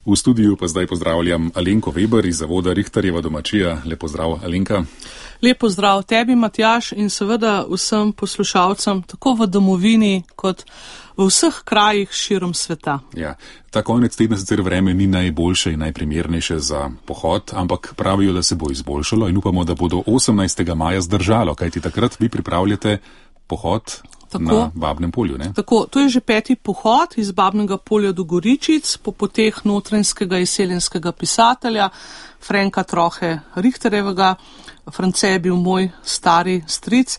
V studiu pa zdaj pozdravljam Alenko Weber iz zavoda Richterjeva domačija. Lep pozdrav, Alenka. Lep pozdrav tebi, Matjaž, in seveda vsem poslušalcem, tako v domovini kot v vseh krajih širom sveta. Ja, ta konec tedna sicer vreme ni najboljše in najprimernejše za pohod, ampak pravijo, da se bo izboljšalo in upamo, da bo do 18. maja zdržalo, kajti takrat vi pripravljate pohod na Babnem polju, ne? Tako, to je že 5. pohod iz Babnega polja do Goričic po poteh notranjskega izseljenskega pisatelja Franka Trohe Richterjevega. France je bil moj stari stric.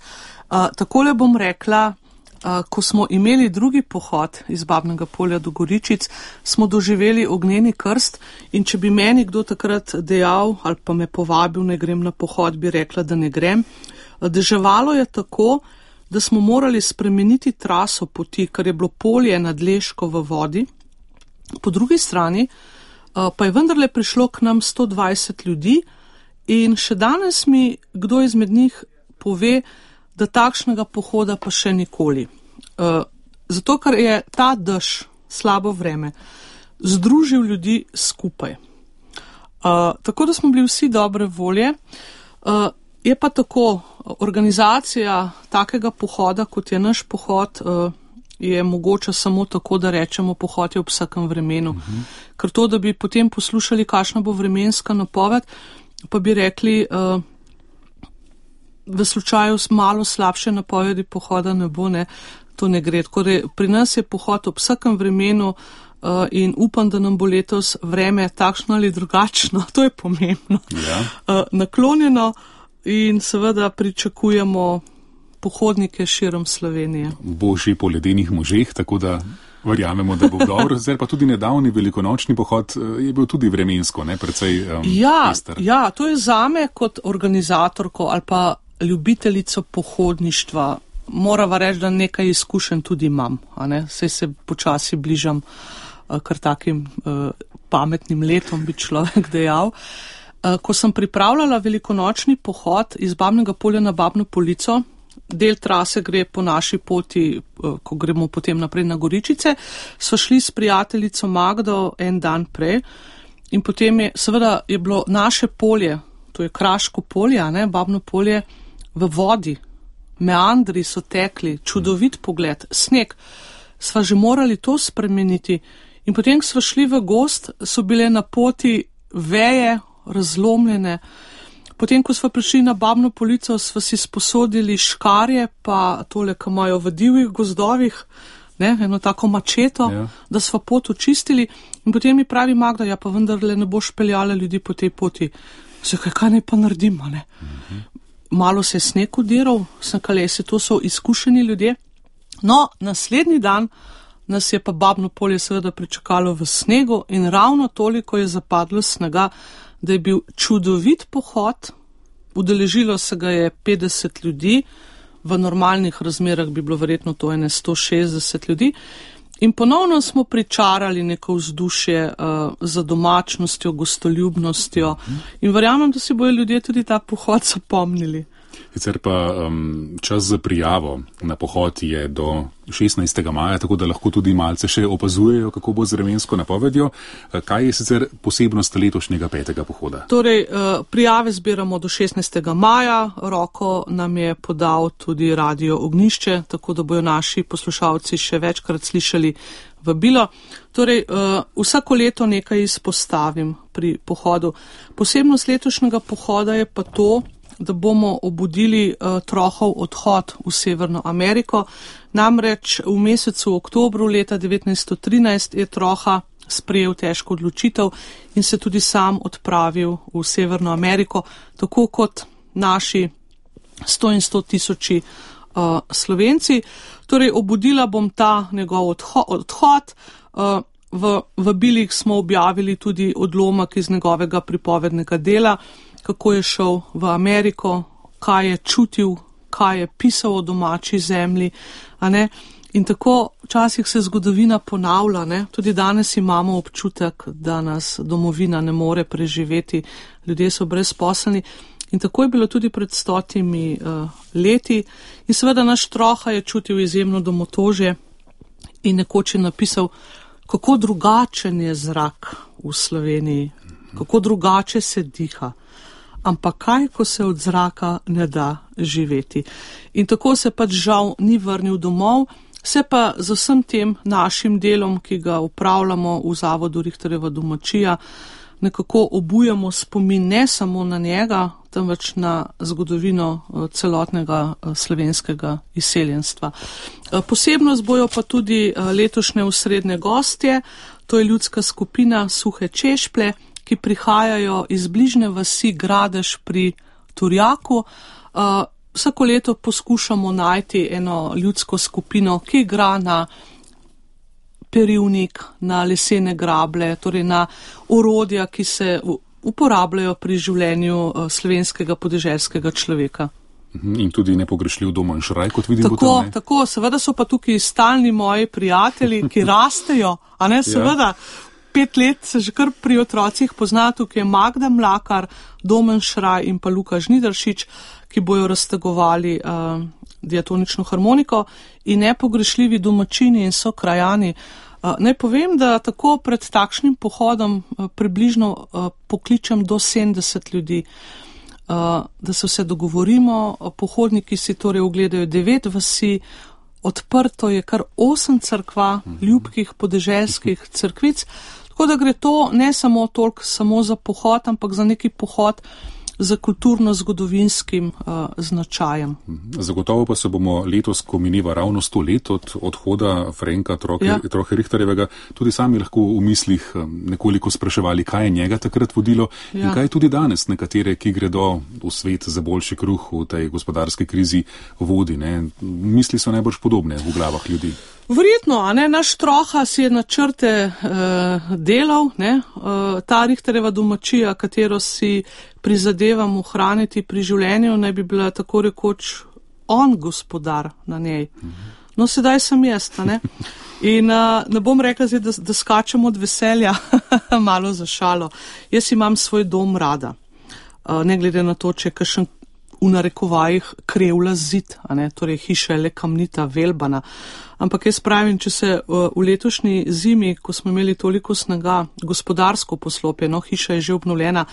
Takole bom rekla, ko smo imeli drugi pohod iz Babnega polja do Goričic, smo doživeli ognjeni krst in če bi meni kdo takrat dejal ali pa me povabil, ne grem na pohod, bi rekla, da ne grem. Deževalo je tako, da smo morali spremeniti traso poti, ker je bilo polje nad Leško v vodi. Po drugi strani pa je vendarle prišlo k nam 120 ljudi in še danes mi kdo izmed njih pove, da takšnega pohoda pa še nikoli. Zato, ker je ta dež, slabo vreme, združil ljudi skupaj. Tako da smo bili vsi dobre volje. Je pa tako, organizacija takega pohoda, kot je naš pohod, je mogoče samo tako, da rečemo, pohod je ob vsakem vremenu. Ker to, da bi potem poslušali, kakšna bo vremenska napoved, pa bi rekli, v slučaju malo slabše napovedi pohoda ne bo, ne, to ne gre. Pri nas je pohod ob vsakem vremenu in upam, da nam bo letos vreme takšno ali drugačno, to je pomembno, naklonjeno. In seveda pričakujemo pohodnike širom Slovenije. Božji po ledenih možeh, tako da verjamemo, da bo dobro. Zdaj pa tudi nedavni velikonočni pohod je bil tudi vremensko, ne, precej pester. Ja, to je zame kot organizatorko ali pa ljubiteljico pohodništva. Morava reči, da nekaj izkušenj tudi imam, a ne? Saj se počasi bližam kar takim pametnim letom, bi človek dejal. Ko sem pripravljala velikonočni pohod iz Babnega polja na Babno Polico, del trase gre po naši poti, ko gremo potem naprej na Goričice, so šli s prijateljico Magdo en dan prej in potem je bilo naše polje, to je Kraško polje, ne, Babno polje, v vodi, meandri so tekli, čudovit pogled, sneg, sva že morali to spremeniti in potem, ko sva šli v gozd, so bile na poti veje, razlomljene. Potem, ko smo prišli na Babno Polico, smo si sposodili škarje, pa tole, ki imajo v divjih gozdovih, ne, eno tako mačeto, da smo pot očistili. In potem mi pravi Magda, ja pa vendarle ne boš peljala ljudi po tej poti. Zakaj, kaj naj pa naredimo, ne? Malo se je sneg udiral, sem kalesi, to so izkušeni ljudje. No, naslednji dan nas je pa Babno polje seveda pričakalo v snegu in ravno toliko je zapadlo snega, da je bil čudovit pohod, udeležilo se ga je 50 ljudi, v normalnih razmerah bi bilo verjetno to 160 ljudi in ponovno smo pričarali neko vzdušje za domačnostjo, gostoljubnostjo in verjamem, da si bojo ljudje tudi ta pohod zapomnili. Sicer pa čas za prijavo na pohod je do 16. maja, tako da lahko tudi malce še opazujejo, kako bo z vremensko napovedjo. Kaj je sicer posebnost letošnjega 5. pohoda? Torej, prijave zbiramo do 16. maja, roko nam je podal tudi Radio Ognjišče, tako da bojo naši poslušalci še večkrat slišali vabilo. Torej, vsako leto nekaj izpostavim pri pohodu. Posebnost letošnjega pohoda je pa to, da bomo obudili Trohov odhod v Severno Ameriko. Namreč v mesecu oktobru leta 1913 je Troha sprejel težko odločitev in se tudi sam odpravil v Severno Ameriko, tako kot naši 100 in 100 tisoči Slovenci. Torej, obudila bom ta njegov odhod. V bilih smo objavili tudi odlomek iz njegovega pripovednega dela, kako je šel v Ameriko, kaj je čutil, kaj je pisal o domači zemlji, a ne? In tako včasih se zgodovina ponavlja, ne? Tudi danes imamo občutek, da nas domovina ne more preživeti, ljudje so brezposelni in tako je bilo tudi pred 100 leti in seveda naš Troha je čutil izjemno domotožje in nekoč je napisal, kako drugačen je zrak v Sloveniji, kako drugače se diha. Ampak kaj, ko se od zraka ne da živeti. In tako se pač žal ni vrnil domov, se pa z vsem tem našim delom, ki ga upravljamo v Zavodu Richterjeva domačija, nekako obujamo spomin ne samo na njega, temveč na zgodovino celotnega slovenskega izseljenstva. Posebnost bojo pa tudi letošnje osrednje gostje, to je ljudska skupina Suhe Češplje, ki prihajajo iz bližnje vasi Gradež pri Turjaku. Vsako leto poskušamo najti eno ljudsko skupino, ki igra na perivnik, na lesene grable, torej na orodja, ki se uporabljajo pri življenju slovenskega podeželskega človeka. In tudi nepogrešljiv Domen Šraj, kot vidim. Tako, seveda so pa tukaj stalni moji prijatelji, ki rastejo, a ne, seveda. 5 let se že kar pri otrocih pozna, tukaj je Magda Mlakar, Domen Šraj in pa Luka Žnidaršič, ki bojo raztegovali diatonično harmoniko in nepogrešljivi domačini in so krajani. Naj povem, da tako pred takšnim pohodom približno pokličem do 70 ljudi, da se vse dogovorimo, pohodniki si torej ogledajo 9 vasi, odprto je kar 8 cerkva, ljubkih podeželskih cerkvic, tako da gre to ne samo toliko samo za pohod, ampak za neki pohod za kulturno-zgodovinskim značajem. Zagotovo pa se bomo letos, ko mineva ravno 100 let od odhoda Frenka Trohe Richterjevega, tudi sami lahko v mislih nekoliko spraševali, kaj je njega takrat vodilo in kaj je tudi danes nekatere, ki gredo v svet za boljši kruh v tej gospodarski krizi vodi. Ne? Misli so najbolj podobne v glavah ljudi. Verjetno, a ne, naš Troha si je načrte delal, ne, ta Richterjeva domačija, katero si prizadevam ohraniti pri življenju, naj bi bila tako rekoč on gospodar na njej. No, sedaj sem jaz, ne. In ne bom rekla zdaj, da skačem od veselja, malo za šalo. Jaz imam svoj dom rada, ne glede na to, če je kakšen v narekovajih krevla zid, a ne, torej hiša je le kamnita, velbana. Ampak jaz pravim, če se v letošnji zimi, ko smo imeli toliko snega, gospodarsko poslopje, no, hiša je že obnovljena,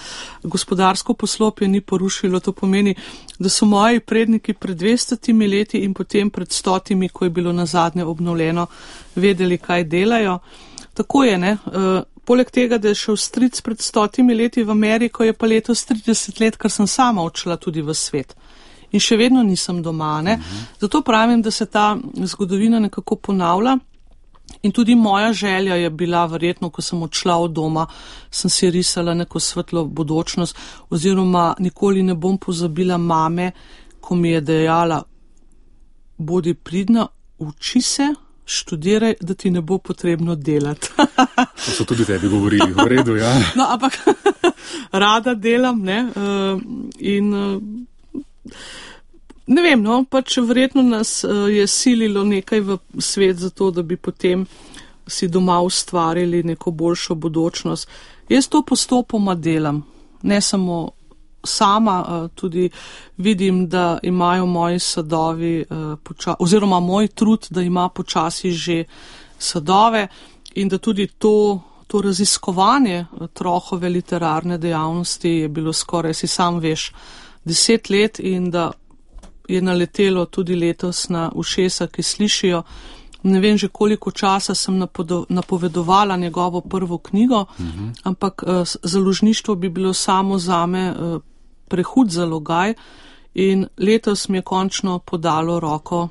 gospodarsko poslopje ni porušilo, to pomeni, da so moji predniki pred 200 leti in potem pred 100, ko je bilo nazadnje obnovljeno, vedeli, kaj delajo. Tako je, ne. Poleg tega, da je šel stric pred 100 leti v Ameriko, je pa letos 30 let, ker sem sama odšla tudi v svet. In še vedno nisem doma, ne. Zato pravim, da se ta zgodovina nekako ponavlja. In tudi moja želja je bila verjetno, ko sem odšla od doma, sem si risala neko svetlo bodočnost, oziroma nikoli ne bom pozabila mame, ko mi je dejala, bodi pridna, uči se, študiraj, da ti ne bo potrebno delati. To so tudi tebi govorili, v redu, ja. No, ampak rada delam, ne, in ne vem, no, pač verjetno nas je sililo nekaj v svet za to, da bi potem si doma ustvarili neko boljšo bodočnost. Jaz to postopoma delam, ne samo sama, tudi vidim, da imajo moji sadovi, oziroma moj trud, da ima počasi že sadove in da tudi to raziskovanje Trohove literarne dejavnosti je bilo skoraj, si sam veš, 10 let in da je naletelo tudi letos na ušesa, ki slišijo. Ne vem že koliko časa sem napovedovala njegovo prvo knjigo, ampak založništvo bi bilo samo zame prehud zalogaj in letos mi je končno podalo roko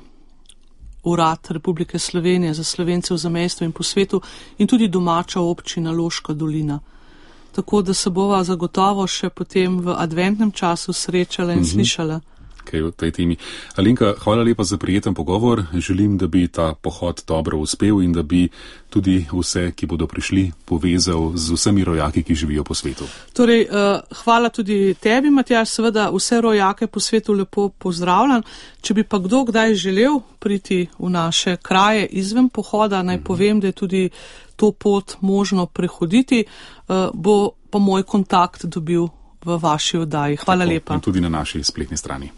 Urad Republike Slovenije za Slovence v zamejstvu in po svetu in tudi domača občina Loška dolina. Tako da se bova zagotovo še potem v adventnem času srečala in slišala. Kaj v tej temi. Alenka, hvala lepa za prijeten pogovor. Želim, da bi ta pohod dobro uspel in da bi tudi vse, ki bodo prišli, povezal z vsemi rojaki, ki živijo po svetu. Torej, hvala tudi tebi, Matjaž, seveda vse rojake po svetu lepo pozdravljam. Če bi pa kdo kdaj želel priti v naše kraje izven pohoda, naj povem, da je tudi to pot možno prehoditi, bo pa moj kontakt dobil v vaši oddaji. Hvala lepa. In tudi na naši spletni strani.